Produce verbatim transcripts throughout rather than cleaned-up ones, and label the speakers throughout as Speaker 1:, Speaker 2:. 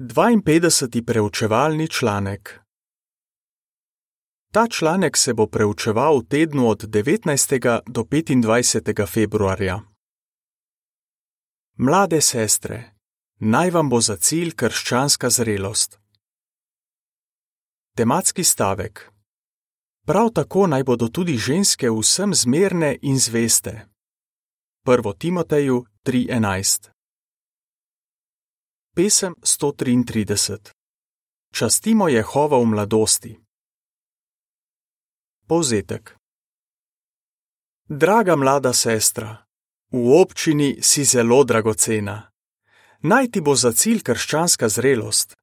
Speaker 1: dvainpetdeseti preučevalni članek. Ta članek se bo preučeval v tednu od devetnajstega do petindvajsetega februarja. Mlade sestre, naj vam bo za cilj krščanska zrelost. Tematski stavek. Prav tako naj bodo tudi ženske vsem zmerne in zveste. Prvo Timoteju tri enajst. Pesem sto triintrideset. Častimo Jehova v mladosti. Povzetek. Draga mlada sestra, v občini si zelo dragocena. Naj ti bo za cilj krščanska zrelost.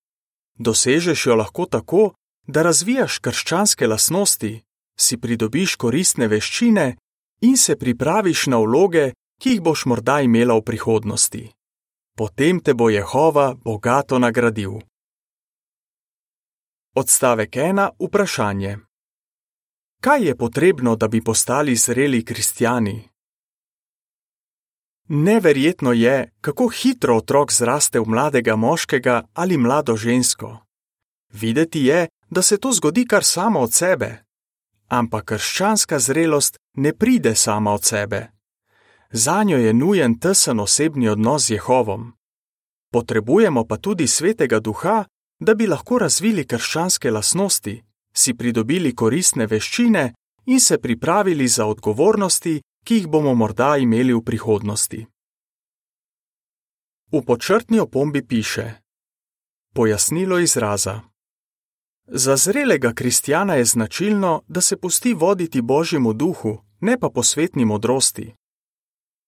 Speaker 1: Dosežeš jo lahko tako, da razvijaš krščanske lastnosti, si pridobiš koristne veščine in se pripraviš na vloge, ki jih boš morda imela v prihodnosti. Potem te bo Jehova bogato nagradil. Odstavek ena. Vprašanje. Kaj je potrebno, da bi postali zreli kristjani? Neverjetno je, kako hitro otrok zraste v mladega moškega ali mlado žensko. Videti je, da se to zgodi kar samo od sebe. Ampak krščanska zrelost ne pride sama od sebe. Zanjo je nujen tesen osebni odnos z Jehovom. Potrebujemo pa tudi Svetega Duha, da bi lahko razvili krščanske lastnosti, si pridobili koristne veščine in se pripravili za odgovornosti, ki jih bomo morda imeli v prihodnosti. V podčrtni opombi piše: Pojasnilo izraza. Za zrelega kristjana je značilno, da se pusti voditi Božjemu duhu, ne pa posvetni modrosti.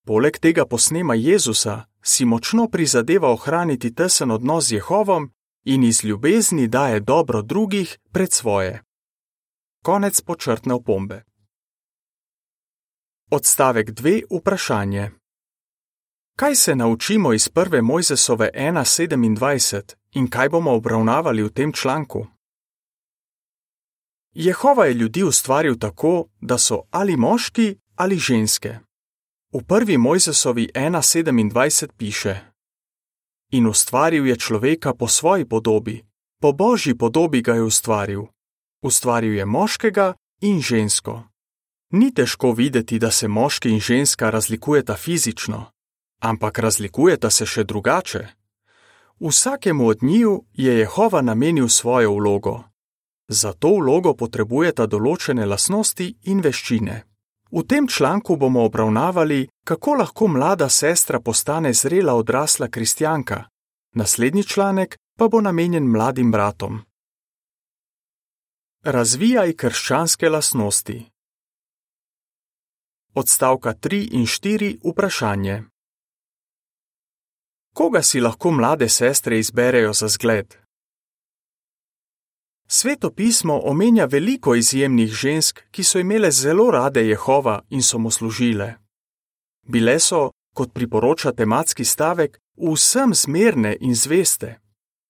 Speaker 1: Poleg tega posnema Jezusa si močno prizadeva ohraniti tesen odnos z Jehovom in iz ljubezni daje dobro drugih pred svoje. Konec podčrtne opombe. Odstavek dve. Vprašanje. Kaj se naučimo iz prve Mojzesove ena sedemindvajset in kaj bomo obravnavali v tem članku? Jehova je ljudi ustvaril tako, da so ali moški ali ženske. V prvi Mojzesovi ena sedemindvajset piše: In ustvaril je človeka po svoji podobi, po Božji podobi ga je ustvaril. Ustvaril je moškega in žensko. Ni težko videti, da se moški in ženska razlikujeta fizično, ampak razlikujeta se še drugače. Vsakemu od njiju je Jehova namenil svojo vlogo. Za to vlogo potrebujeta določene lastnosti in veščine. V tem članku bomo obravnavali, kako lahko mlada sestra postane zrela odrasla kristjanka. Naslednji članek pa bo namenjen mladim bratom. Razvijaj krščanske lastnosti. Odstavka tri in štiri. Vprašanje. Koga si lahko mlade sestre izberejo za zgled? Sveto pismo omenja veliko izjemnih žensk, ki so imele zelo rade Jehova in so mu služile. Bile so, kot priporoča tematski stavek, vsem zmerne in zveste.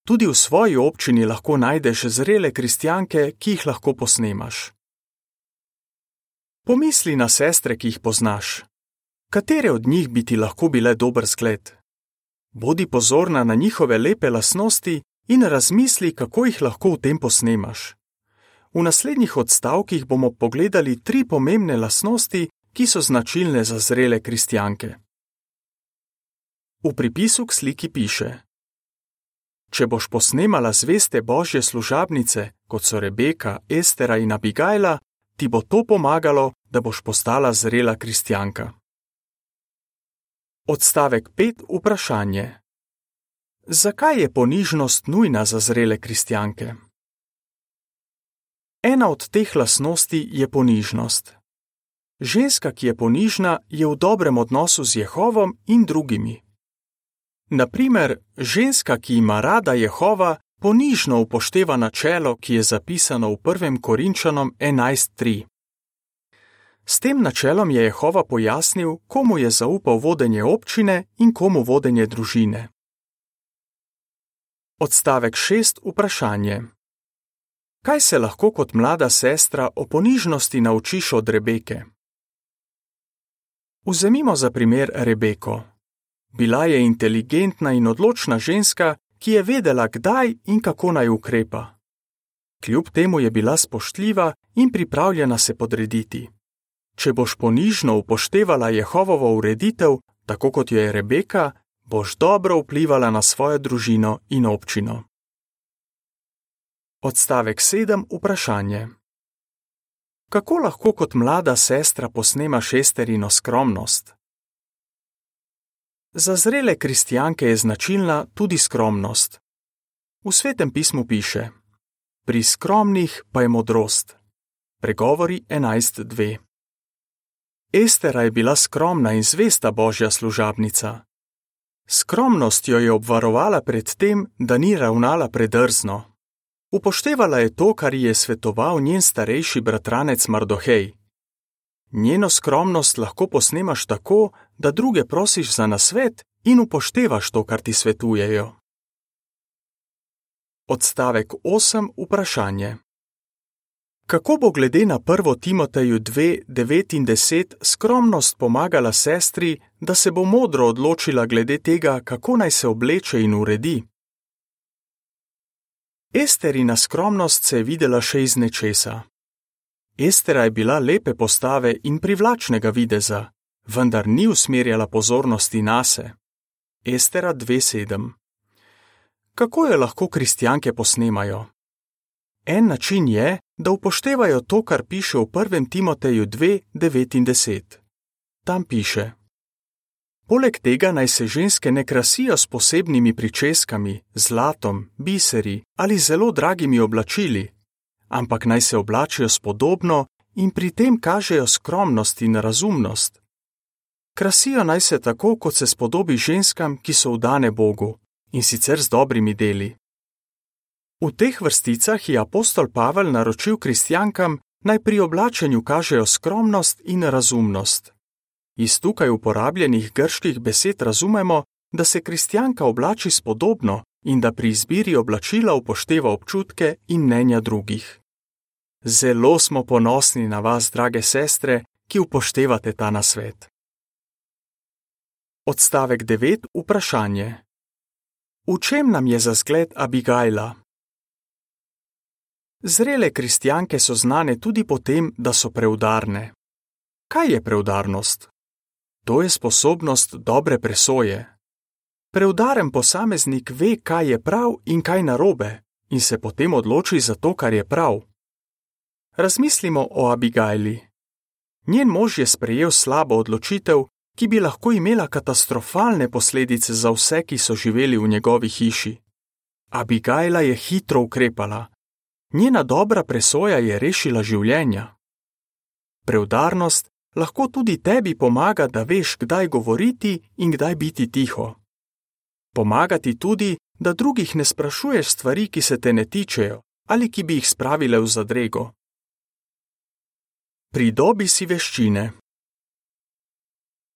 Speaker 1: Tudi v svoji občini lahko najdeš zrele kristjanke, ki jih lahko posnemaš. Pomisli na sestre, ki jih poznaš. Katere od njih bi ti lahko bile dober zgled? Bodi pozorna na njihove lepe lastnosti in razmisli, kako jih lahko v tem posnemaš. V naslednjih odstavkih bomo pogledali tri pomembne lastnosti, ki so značilne za zrele kristjanke. V pripisu k sliki piše: Če boš posnemala zveste Božje služabnice, kot so Rebeka, Estera in Abigajla, ti bo to pomagalo, da boš postala zrela kristjanka. Odstavek pet. Vprašanje. Zakaj je ponižnost nujna za zrele kristjanke? Ena od teh lastnosti je ponižnost. Ženska, ki je ponižna, je v dobrem odnosu z Jehovom in drugimi. Na primer, ženska, ki ima rada Jehova, ponižno upošteva načelo, ki je zapisano v prvem Korinčanom enajst tri. S tem načelom je Jehova pojasnil, komu je zaupal vodenje občine in komu vodenje družine. Odstavek šest. Vprašanje. Kaj se lahko kot mlada sestra o ponižnosti naučiš od Rebeke? Vzemimo za primer Rebeko. Bila je inteligentna in odločna ženska, ki je vedela, kdaj in kako naj ukrepa. Kljub temu je bila spoštljiva in pripravljena se podrediti. Če boš ponižno upoštevala Jehovovo ureditev, tako kot jo je Rebeka, boš dobro vplivala na svojo družino in občino. Odstavek sedem. Vprašanje. Kako lahko kot mlada sestra posnemaš Esterino skromnost? Za zrele kristjanke je značilna tudi skromnost. V Svetem pismu piše: Pri skromnih pa je modrost. Pregovori enajst dve. Estera je bila skromna in zvesta Božja služabnica. Skromnost jo je obvarovala pred tem, da ni ravnala predrzno. Upoštevala je to, kar ji je svetoval njen starejši bratranec Mardohej. Njeno skromnost lahko posnemaš tako, da druge prosiš za nasvet in upoštevaš to, kar ti svetujejo. Odstavek osem. Vprašanje. Kako bo glede na prvo Timoteju dve, devet in deset skromnost pomagala sestri, da se bo modro odločila glede tega, kako naj se obleče in uredi? Esterina skromnost se je videla še iz nečesa. Estera je bila lepe postave in privlačnega videza, vendar ni usmerjala pozornosti nase. Estera dve sedem. Kako jo lahko kristjanke posnemajo? En način je, da upoštevajo to, kar piše v prvem Timoteju dve, devet in deset. Tam piše: Poleg tega naj se ženske ne krasijo s posebnimi pričeskami, zlatom, biseri ali zelo dragimi oblačili, ampak naj se oblačijo spodobno in pri tem kažejo skromnost in razumnost. Krasijo naj se tako, kot se spodobi ženskam, ki so vdane Bogu, in sicer z dobrimi deli. V teh vrsticah je apostol Pavel naročil kristjankam, naj pri oblačenju kažejo skromnost in razumnost. Iz tukaj uporabljenih grških besed razumemo, da se kristjanka oblači spodobno in da pri izbiri oblačila upošteva občutke in mnenja drugih. Zelo smo ponosni na vas, drage sestre, ki upoštevate ta nasvet. Odstavek devet. Vprašanje. V čem nam je za zgled Abigajla? Zrele kristjanke so znane tudi po tem, da so preudarne. Kaj je preudarnost? To je sposobnost dobre presoje. Preudaren posameznik ve, kaj je prav in kaj narobe, in se potem odloči za to, kar je prav. Razmislimo o Abigajli. Njen mož je sprejel slabo odločitev, ki bi lahko imela katastrofalne posledice za vse, ki so živeli v njegovi hiši. Abigajla je hitro ukrepala. Njena dobra presoja je rešila življenja. Preudarnost lahko tudi tebi pomaga, da veš, kdaj govoriti in kdaj biti tiho. Pomaga ti tudi, da drugih ne sprašuješ stvari, ki se te ne tičejo ali ki bi jih spravile v zadrego. Pridobi si veščine.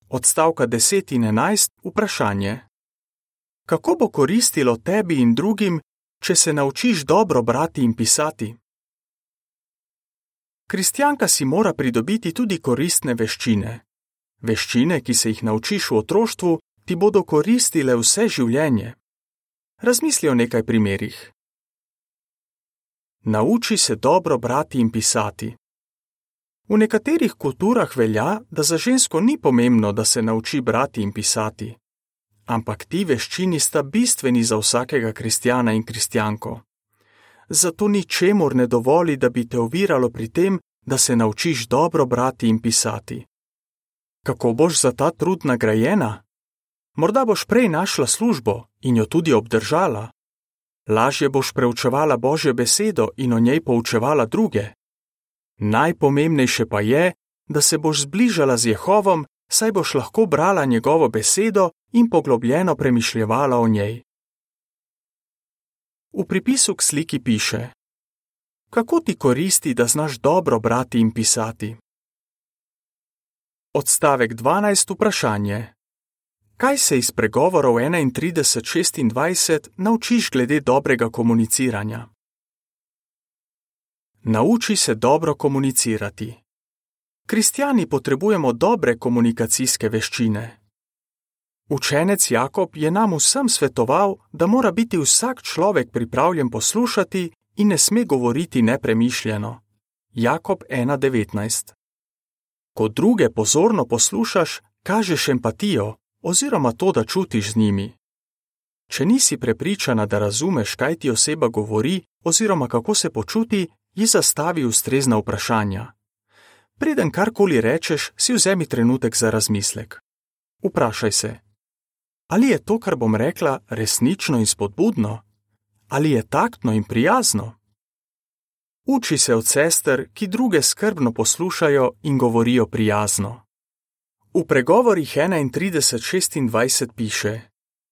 Speaker 1: Odstavka deset in enajst. Vprašanje. Kako bo koristilo tebi in drugim, če se naučiš dobro brati in pisati? Kristjanka si mora pridobiti tudi koristne veščine. Veščine, ki se jih naučiš v otroštvu, ti bodo koristile vse življenje. Razmisli o nekaj primerih. Nauči se dobro brati in pisati. V nekaterih kulturah velja, da za žensko ni pomembno, da se nauči brati in pisati. Ampak ti veščini sta bistveni za vsakega kristjana in kristjanko. Zato ničemur ne dovoli, da bi te oviralo pri tem, da se naučiš dobro brati in pisati. Kako boš za ta trud nagrajena? Morda boš prej našla službo in jo tudi obdržala. Lažje boš preučevala Božjo besedo in o njej poučevala druge. Najpomembnejše pa je, da se boš zbližala z Jehovom, saj boš lahko brala njegovo besedo in poglobljeno premišljevala o njej. V pripisu k sliki piše: Kako ti koristi, da znaš dobro brati in pisati? Odstavek dvanajst. Vprašanje. Kaj se iz pregovorov enaintrideset šestindvajset naučiš glede dobrega komuniciranja? Nauči se dobro komunicirati. Kristjani potrebujemo dobre komunikacijske veščine. Učenec Jakob je nam vsem svetoval, da mora biti vsak človek pripravljen poslušati in ne sme govoriti nepremišljeno. Jakob ena devetnajst. Ko druge pozorno poslušaš, kažeš empatijo oziroma to, da čutiš z njimi. Če nisi prepričana, da razumeš, kaj ti oseba govori oziroma kako se počuti, ji zastavi ustrezna vprašanja. Preden karkoli rečeš, si vzemi trenutek za razmislek. Vprašaj se, ali je to, kar bom rekla, resnično in spodbudno? Ali je taktno in prijazno? Uči se od sester, ki druge skrbno poslušajo in govorijo prijazno. V pregovorih enaintrideset šestindvajset piše: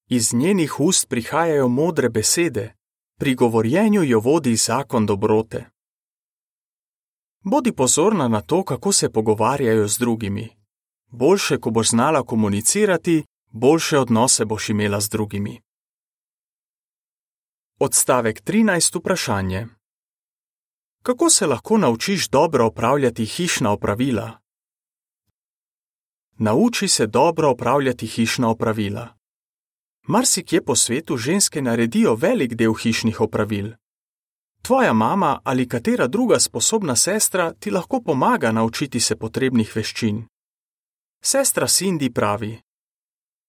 Speaker 1: Iz njenih ust prihajajo modre besede, pri govorjenju jo vodi zakon dobrote. Bodi pozorna na to, kako se pogovarjajo z drugimi. Boljše, ko boš znala komunicirati, boljše odnose boš imela z drugimi. Odstavek trinajst vprašanje. Kako se lahko naučiš dobro opravljati hišna opravila? Nauči se dobro opravljati hišna opravila. Marsikje po svetu ženske naredijo velik del hišnih opravil. Tvoja mama ali katera druga sposobna sestra ti lahko pomaga naučiti se potrebnih veščin. Sestra Cindy pravi: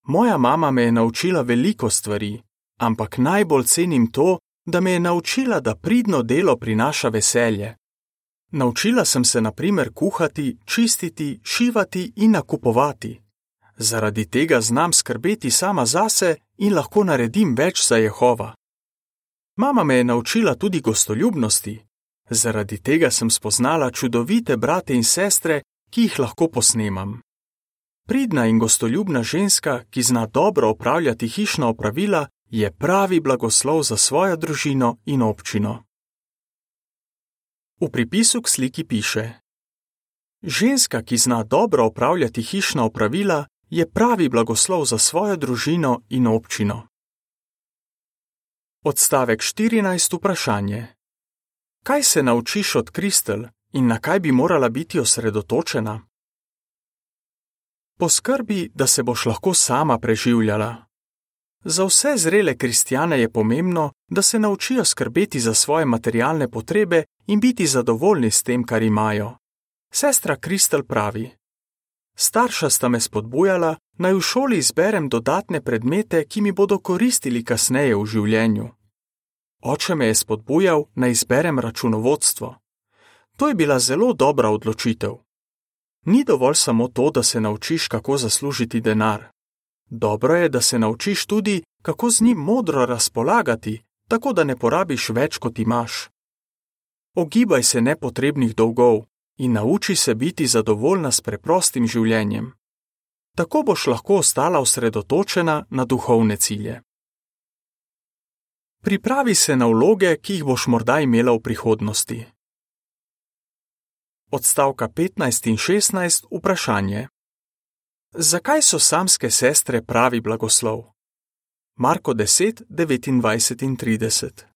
Speaker 1: Moja mama me je naučila veliko stvari, ampak najbolj cenim to, da me je naučila, da pridno delo prinaša veselje. Naučila sem se na primer kuhati, čistiti, šivati in nakupovati. Zaradi tega znam skrbeti sama zase in lahko naredim več za Jehova. Mama me je naučila tudi gostoljubnosti. Zaradi tega sem spoznala čudovite brate in sestre, ki jih lahko posnemam. Pridna in gostoljubna ženska, ki zna dobro opravljati hišna opravila, je pravi blagoslov za svojo družino in občino. V pripisu k sliki piše: Ženska, ki zna dobro opravljati hišna opravila, je pravi blagoslov za svojo družino in občino. Odstavek štirinajst vprašanje. Kaj se naučiš od Kristel in na kaj bi morala biti osredotočena? Poskrbi, da se boš lahko sama preživljala. Za vse zrele kristjane je pomembno, da se naučijo skrbeti za svoje materialne potrebe in biti zadovoljni s tem, kar imajo. Sestra Kristel pravi: Starša sta me spodbujala, naj v šoli izberem dodatne predmete, ki mi bodo koristili kasneje v življenju. Oče me je spodbujal, naj izberem računovodstvo. To je bila zelo dobra odločitev. Ni dovolj samo to, da se naučiš, kako zaslužiti denar. Dobro je, da se naučiš tudi, kako z njim modro razpolagati, tako da ne porabiš več, kot imaš. Ogibaj se nepotrebnih dolgov in nauči se biti zadovoljna s preprostim življenjem. Tako boš lahko ostala osredotočena na duhovne cilje. Pripravi se na vloge, ki jih boš morda imela v prihodnosti. Odstavka petnajst in šestnajst vprašanje. Zakaj so samske sestre pravi blagoslov? Marko deset, devetindvajset in trideset.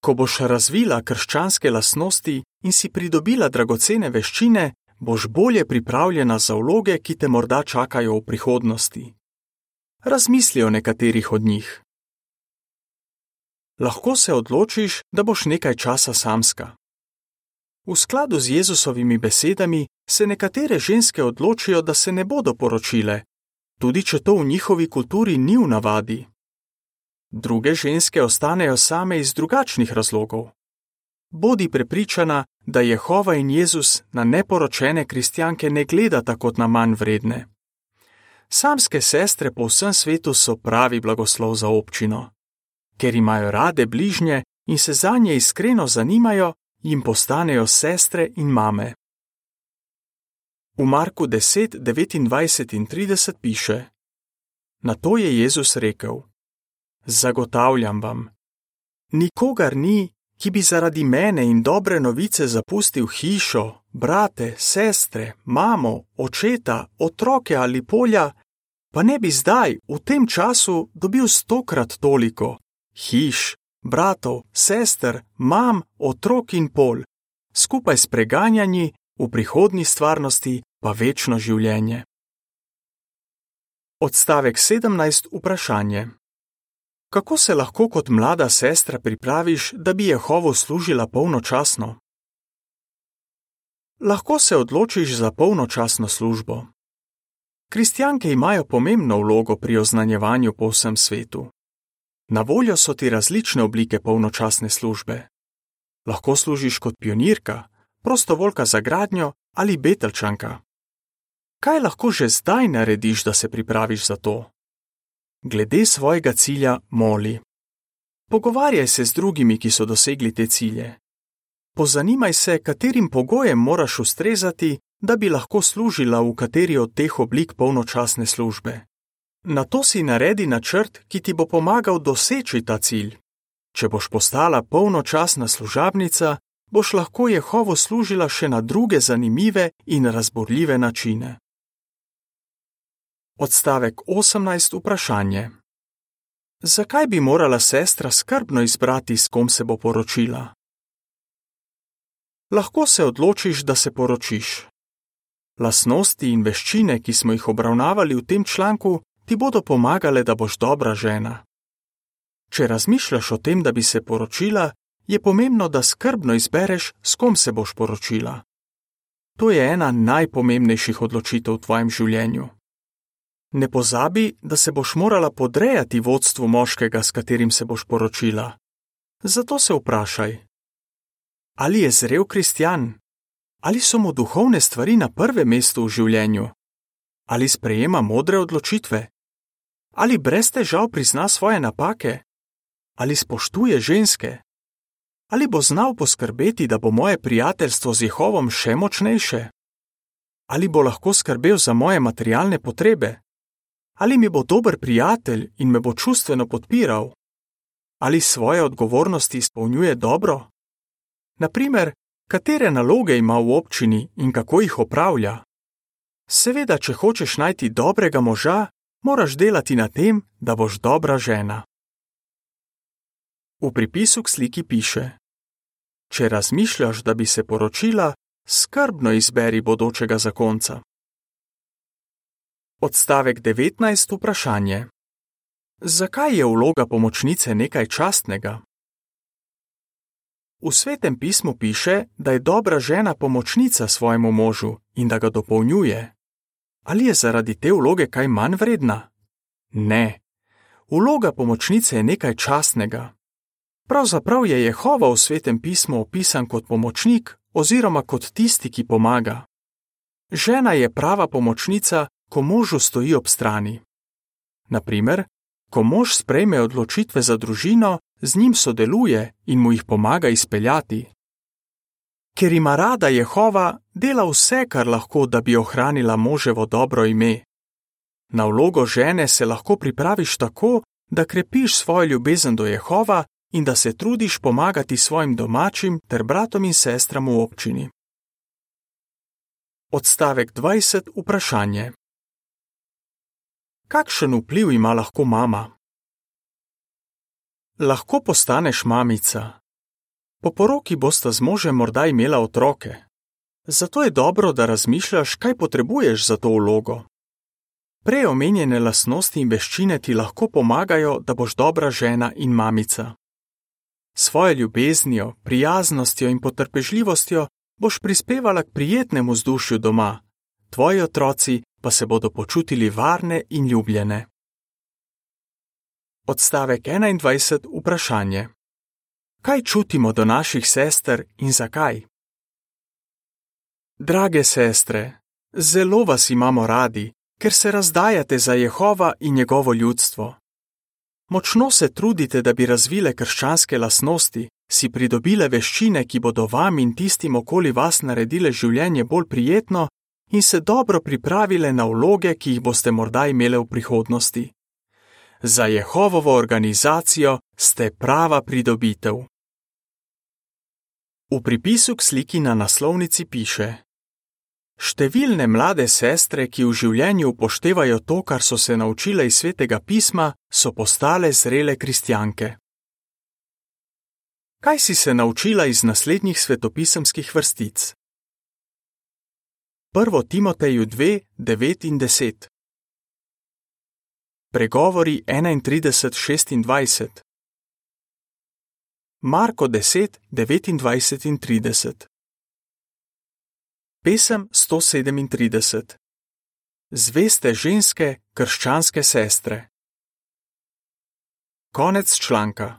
Speaker 1: Ko boš razvila krščanske lastnosti in si pridobila dragocene veščine, boš bolje pripravljena za vloge, ki te morda čakajo v prihodnosti. Razmisli o nekaterih od njih. Lahko se odločiš, da boš nekaj časa samska. V skladu z Jezusovimi besedami se nekatere ženske odločijo, da se ne bodo poročile, tudi če to v njihovi kulturi ni v navadi. Druge ženske ostanejo same iz drugačnih razlogov. Bodi prepričana, da Jehova in Jezus na neporočene kristjanke ne gledata kot na manj vredne. Samske sestre po vsem svetu so pravi blagoslov za občino. Ker imajo rade bližnje in se zanje iskreno zanimajo, jim postanejo sestre in mame. V Marku deset, devetindvajset in trideset piše: Na to je Jezus rekel: Zagotavljam vam, nikogar ni, ki bi zaradi mene in dobre novice zapustil hišo, brate, sestre, mamo, očeta, otroke ali polja, pa ne bi zdaj, v tem času, dobil stokrat toliko hiš, bratov, sester, mam, otrok in pol, skupaj s preganjanji, v prihodnji stvarnosti pa večno življenje. Odstavek sedemnajst. Vprašanje. Kako se lahko kot mlada sestra pripraviš, da bi Jehovo služila polnočasno? Lahko se odločiš za polnočasno službo. Kristjanke imajo pomembno vlogo pri oznanjevanju po vsem svetu. Na voljo so ti različne oblike polnočasne službe. Lahko služiš kot pionirka, prostovoljka za gradnjo ali betelčanka. Kaj lahko že zdaj narediš, da se pripraviš za to? Glede svojega cilja moli. Pogovarjaj se z drugimi, ki so dosegli te cilje. Pozanimaj se, katerim pogojem moraš ustrezati, da bi lahko služila v kateri od teh oblik polnočasne službe. Nato si naredi načrt, ki ti bo pomagal doseči ta cilj. Če boš postala polnočasna služabnica, boš lahko Jehovo služila še na druge zanimive in razburljive načine. Odstavek osemnajst. Vprašanje. Zakaj bi morala sestra skrbno izbrati, s kom se bo poročila? Lahko se odločiš, da se poročiš. Lastnosti in veščine, ki smo jih obravnavali v tem članku, ti bodo pomagale, da boš dobra žena. Če razmišljaš o tem, da bi se poročila, je pomembno, da skrbno izbereš, s kom se boš poročila. To je ena najpomembnejših odločitev v tvojem življenju. Ne pozabi, da se boš morala podrejati vodstvu moškega, s katerim se boš poročila. Zato se vprašaj. Ali je zrel kristjan? Ali so mu duhovne stvari na prvem mestu v življenju? Ali sprejema modre odločitve? Ali brez težav prizna svoje napake? Ali spoštuje ženske? Ali bo znal poskrbeti, da bo moje prijateljstvo z Jehovom še močnejše? Ali bo lahko skrbel za moje materialne potrebe? Ali mi bo dober prijatelj in me bo čustveno podpiral? Ali svoje odgovornosti izpolnjuje dobro? Naprimer, katere naloge ima v občini in kako jih opravlja? Seveda, če hočeš najti dobrega moža, moraš delati na tem, da boš dobra žena. V pripisu k sliki piše: Če razmišljaš, da bi se poročila, skrbno izberi bodočega zakonca. Odstavek devetnajst. Vprašanje. Zakaj je vloga pomočnice nekaj častnega? V Svetem pismu piše, da je dobra žena pomočnica svojemu možu in da ga dopolnjuje. Ali je zaradi te vloge kaj manj vredna? Ne. Vloga pomočnice je nekaj častnega. Pravzaprav je Jehova v Svetem pismu opisan kot pomočnik oziroma kot tisti, ki pomaga. Žena je prava pomočnica, ko možu stoji ob strani. Naprimer, ko mož sprejme odločitve za družino, z njim sodeluje in mu jih pomaga izpeljati. Ker ima rada Jehova, dela vse, kar lahko, da bi ohranila moževo dobro ime. Na vlogo žene se lahko pripraviš tako, da krepiš svojo ljubezen do Jehova in da se trudiš pomagati svojim domačim ter bratom in sestram v občini. Odstavek dvajset. Vprašanje. Kakšen vpliv ima lahko mama? Lahko postaneš mamica. Po poroki bosta z možem morda imela otroke. Zato je dobro, da razmišljaš, kaj potrebuješ za to vlogo. Prej omenjene lastnosti in veščine ti lahko pomagajo, da boš dobra žena in mamica. Svojo ljubeznijo, prijaznostjo in potrpežljivostjo boš prispevala k prijetnemu vzdušju doma, tvoji otroci pa se bodo počutili varne in ljubljene. Odstavek enaindvajset. Vprašanje. Kaj čutimo do naših sester in zakaj? Drage sestre, zelo vas imamo radi, ker se razdajate za Jehova in njegovo ljudstvo. Močno se trudite, da bi razvile krščanske lastnosti, si pridobile veščine, ki bodo vam in tistim okoli vas naredile življenje bolj prijetno in se dobro pripravile na vloge, ki jih boste morda imele v prihodnosti. Za Jehovovo organizacijo ste prava pridobitev. V pripisu k sliki na naslovnici piše: Številne mlade sestre, ki v življenju upoštevajo to, kar so se naučile iz Svetega pisma, so postale zrele kristjanke. Kaj si se naučila iz naslednjih svetopisemskih vrstic? Prvo Timoteju dve, devet in deset. Pregovori enaintrideset šestindvajset, Marko deset devetindvajset in trideset. Pesem sto sedemintrideset. Zveste ženske, krščanske sestre. Konec članka.